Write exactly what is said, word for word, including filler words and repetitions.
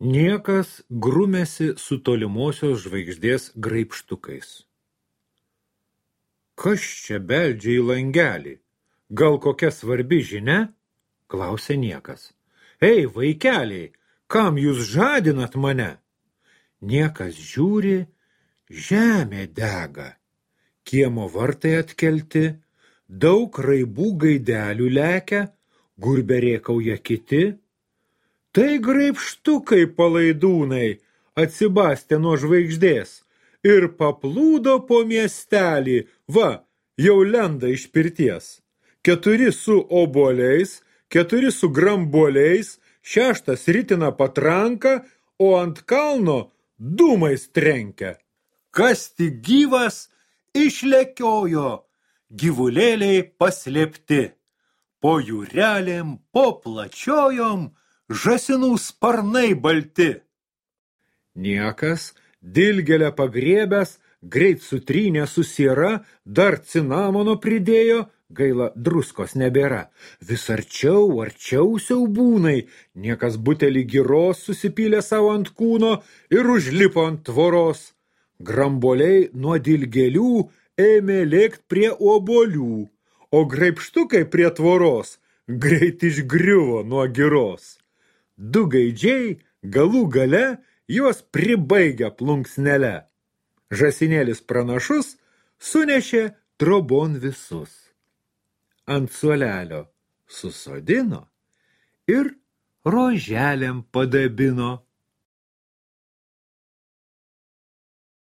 Niekas grumėsi su tolimosios žvaigždės graibštukais. Kas čia beldžia į langelį? Gal kokia svarbi žinia? Klausė niekas. Ei, vaikeliai, kam jūs žadinat mane? Niekas žiūri, žemė dega. Kiemo vartai atkelti, daug raibų gaidelių lekia, gurbė rėkauja kiti. Tai graibštukai palaidūnai atsibastė nuo žvaigždės ir paplūdo po miestelį, va, jau lenda iš pirties. Keturi su obuoliais, keturi su grambuoliais, šeštas ritina patranką, o ant kalno dūmais trenkia. Kas tik gyvas išlekiojo, gyvulėliai paslėpti. Po jūrelėm, po plačiojom, žąsinų sparnai balti. Niekas, dilgelę pagriebęs, greit sutrynė su siera, dar cinamono pridėjo, gaila druskos nebėra. Vis arčiau, arčiau siaubūnai, niekas butelį giros susipylė savo ant kūno ir užlipo ant tvoros. Grambuoliai nuo dilgelių ėmė lėkt prie obuolių, o graibštukai prie tvoros greit išgriuvo nuo giros. Du gaidžiai galų gale juos pribaigia plunksnele. Žąsinėlis pranašus sunešė trobon visus. Ant suolelio susodino ir roželėm padabino.